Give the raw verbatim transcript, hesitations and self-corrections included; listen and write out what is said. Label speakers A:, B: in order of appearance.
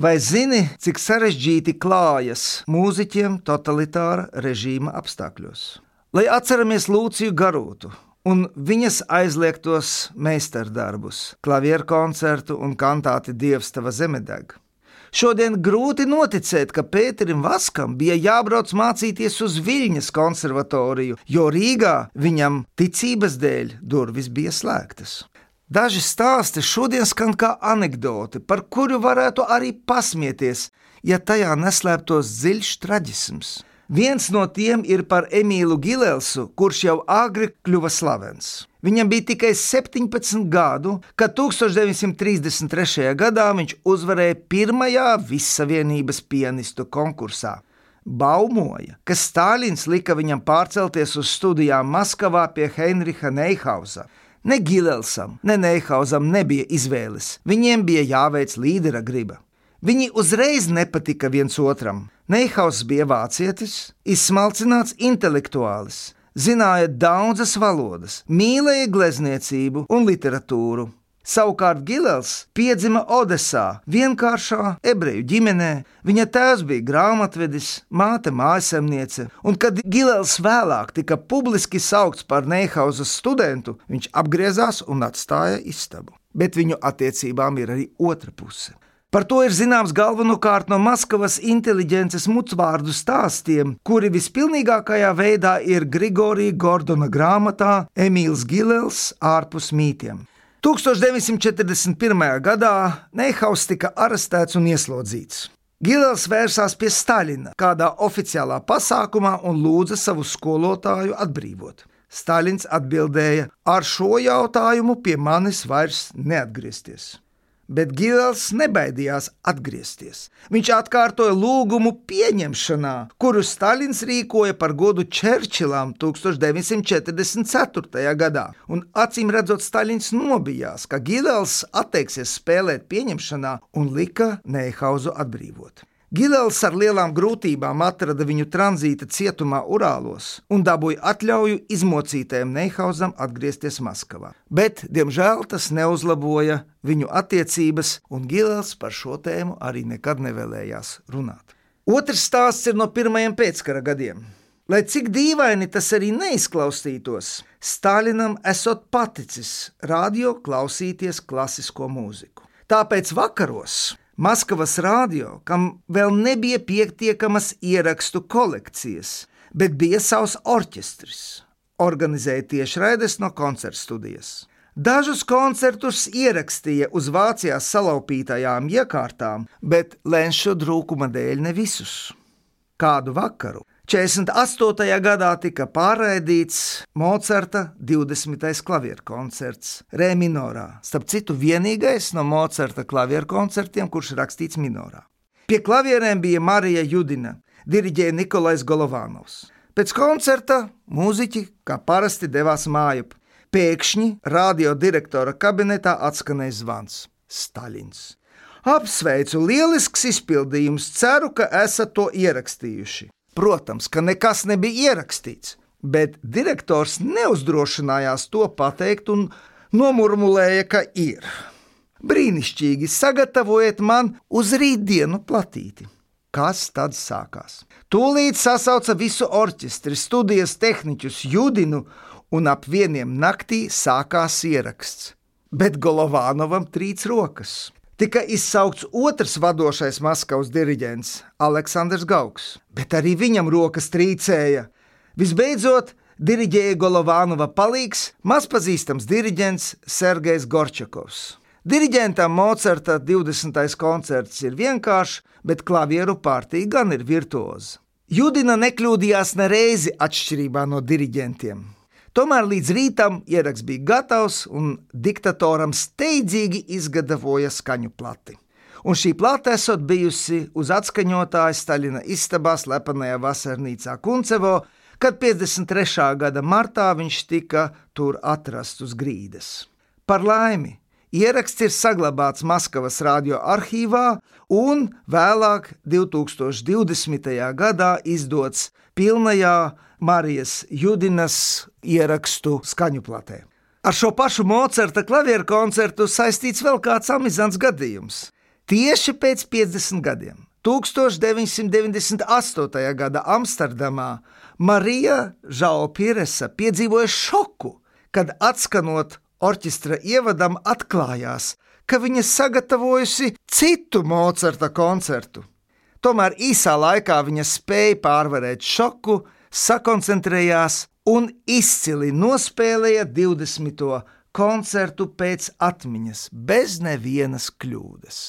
A: Vai zini, cik sarežģīti klājas mūziķiem totalitāra režīma apstākļos? Lai atceramies Lūciju Garūtu un viņas aizliegtos meistardarbus, klavieru koncertu un kantāti Dievs tava zeme deg. Šodien grūti noticēt, ka Pēterim Vaskam bija jābrauc mācīties uz Viļņas konservatoriju, jo Rīgā viņam ticības dēļ durvis bija slēgtas. Daži stāsti šodien skan kā anekdoti, par kuru varētu arī pasmieties, ja tajā neslēptos dziļš traģisms. Viens no tiem ir par Emīlu Gilelsu, kurš jau agri kļuva slavens. Viņam bija tikai septiņpadsmit gadu, kad tūkstoš deviņi simti trīsdesmit trešajā gadā viņš uzvarēja pirmajā Vissavienības pianistu konkursā. Baumoja, ka Stāļins lika viņam pārcelties uz studijām Maskavā pie Heinricha Neihausa. Ne Gilelsam, ne Neihausam nebija izvēles, viņiem bija jāveic līdera griba. Viņi uzreiz nepatika viens otram. Neihauss bija vācietis, izsmalcināts intelektuālis, zināja daudzas valodas, mīlēja glezniecību un literatūru. Savukārt Gilels piedzima Odesā, vienkāršā ebreju ģimenē. Viņa tēvs bija grāmatvedis, māte mājasemniece, un kad Gilels vēlāk tika publiski saukts par Neihausas studentu, viņš apgriezās un atstāja istabu. Bet viņu attiecībām ir arī otra puse. Par to ir zināms galvenokārt no Maskavas inteliģences mucvārdu stāstiem, kuri vispilnīgākajā veidā ir Grigorija Gordona grāmatā Emīls Gilels ārpus mītiem. tūkstoš deviņi simti četrdesmit pirmajā gadā Neihauss tika arestēts un ieslodzīts. Gilels vērsās pie Staļina kādā oficiālā pasākumā un lūdza savu skolotāju atbrīvot. Staļins atbildēja: ar šo jautājumu pie manis vairs neatgriezties. Bet Gilels nebaidījās atgriezties. Viņš atkārtoja lūgumu pieņemšanā, kuru Staļins rīkoja par godu Čerčilam tūkstoš deviņi simti četrdesmit ceturtajā gadā, un acīm redzot Staļins nobijās, ka Gilels atteiksies spēlēt pieņemšanā un lika Neihausu atbrīvot. Gilels ar lielām grūtībām atrada viņu tranzīta cietumā Urālos un dabūja atļauju izmocītajam Neihausam atgriezties Maskavā. Bet, diemžēl, tas neuzlaboja viņu attiecības, un Gilels par šo tēmu arī nekad nevēlējās runāt. Otrs stāsts ir no pirmajiem pēckara gadiem. Lai cik dīvaini tas arī neizklausītos, Staļinam esot paticis radio klausīties klasisko mūziku. Tāpēc vakaros Maskavas radio, kam vēl nebija pietiekamas ierakstu kolekcijas, bet bija savs orķestris, organizēja tiešraides no koncertstudijas. Dažus koncertus ierakstīja uz Vācijā salaupītajām iekārtām, bet lenšu trūkuma dēļ ne visus. Kādu vakaru četrdesmit astotajā gadā tika pārraidīts Mocarta divdesmitais klavieru koncerts Re minorā, starp citu vienīgais no Mocarta klavieru koncertiem, kurš rakstīts minorā. Pie klavierēm bija Marija Judina, diriģēja Nikolais Golovanovs. Pēc koncerta mūziķi, kā parasti, devās mājup. Pēkšņi radio direktora kabinetā atskanēja zvans. Staļins. Apsveicu, lielisks izpildījums, ceru, ka esat to ierakstījuši. Protams, ka nekas nebija ierakstīts, bet direktors neuzdrošinājās to pateikt un nomurmulēja, ka ir. Brīnišķīgi, sagatavojiet man uz rītdienu platīti. Kas tad sākās? Tūlīt sasauca visu orķestri, studijas tehniķus, Judinu, un ap vieniem naktī sākās ieraksts. Bet Golovanovam trīc rokas. Tika izsaukts otrs vadošais Maskavas diriģents, Aleksandrs Gauks, bet arī viņam rokas trīcēja. Visbeidzot, diriģēja Golovanova palīgs, mazpazīstams diriģents Sergejs Gorčakovs. Diriģentam Mocarta divdesmitais koncerts ir vienkāršs, bet klavieru partija gan ir virtuoza. Judina nekļūdījās nereizi atšķirībā no diriģentiem. Tomēr līdz rītam ieraksts bija gatavs un diktatoram steidzīgi izgatavoja skaņu plati. Un šī plata esot bijusi uz atskaņotāja Staļina istabā slepenajā vasarnīcā Kuncevo, kad piecdesmit trešā gada martā viņš tika tur atrasts uz grīdas. Par laimi, ieraksts ir saglabāts Maskavas radio arhīvā un vēlāk divtūkstoš divdesmitajā gadā izdots pilnajā Marijas Judinas ierakstu skaņuplatē. Ar šo pašu Mocarta klavieru koncertu saistīts vēl kāds amizants gadījums. Tieši pēc piecdesmit gadiem, tūkstoš deviņsimt deviņdesmit astotajā gada Amsterdamā, Marija Žao Piresa piedzīvoja šoku, kad atskanot orķestra ievadam atklājās, ka viņa sagatavojusi citu Mocarta koncertu. Tomēr īsā laikā viņa spēja pārvarēt šoku, sakoncentrējās un izcili nospēlēja divdesmito koncertu pēc atmiņas, bez nevienas kļūdas.